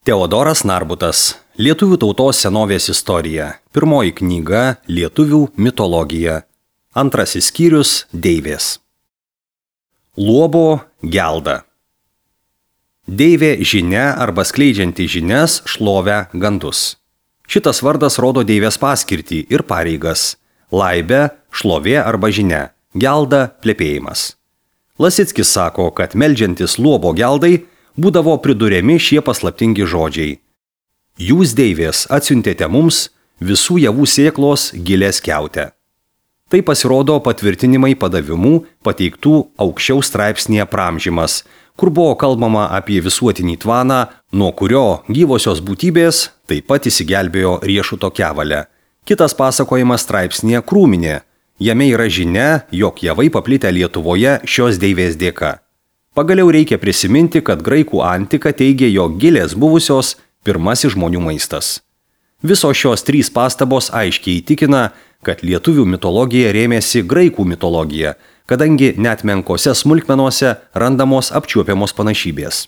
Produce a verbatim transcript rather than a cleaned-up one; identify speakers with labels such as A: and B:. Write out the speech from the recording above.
A: Teodoras Narbutas. Lietuvių tautos senovės istorija. Pirmoji knyga Lietuvių mitologija. Antrasis skyrius Deivės. Luobo gelda. Deivė žinia arba skleidžianti žinias, šlovę, gandus. Šitas vardas rodo deivės paskirtį ir pareigas. Laibė, šlovė arba žinia, gelda, plepėjimas. Lasickis sako, kad meldžiantis luobo geldai būdavo priduriami šie paslaptingi žodžiai. Jūs, deivės, atsiuntėte mums visų javų sėklos gilės kiautę. Tai pasirodo patvirtinimai padavimų pateiktų aukščiau straipsnėje Pramžymas, kur buvo kalbama apie visuotinį tvaną, nuo kurio gyvosios būtybės taip pat įsigelbėjo riešuto kevalę. Kitas pasakojimas straipsnėje Krūminė. Jame yra žinia, jog javai paplitę Lietuvoje šios deivės dėka. Pagaliau reikia prisiminti, kad graikų antika teigė, jog gilės buvusios pirmasis žmonių maistas. Visos šios trys pastabos aiškiai įtikina, kad lietuvių mitologija rėmėsi graikų mitologija, kadangi net menkose smulkmenose randamos apčiuopiamos panašybės.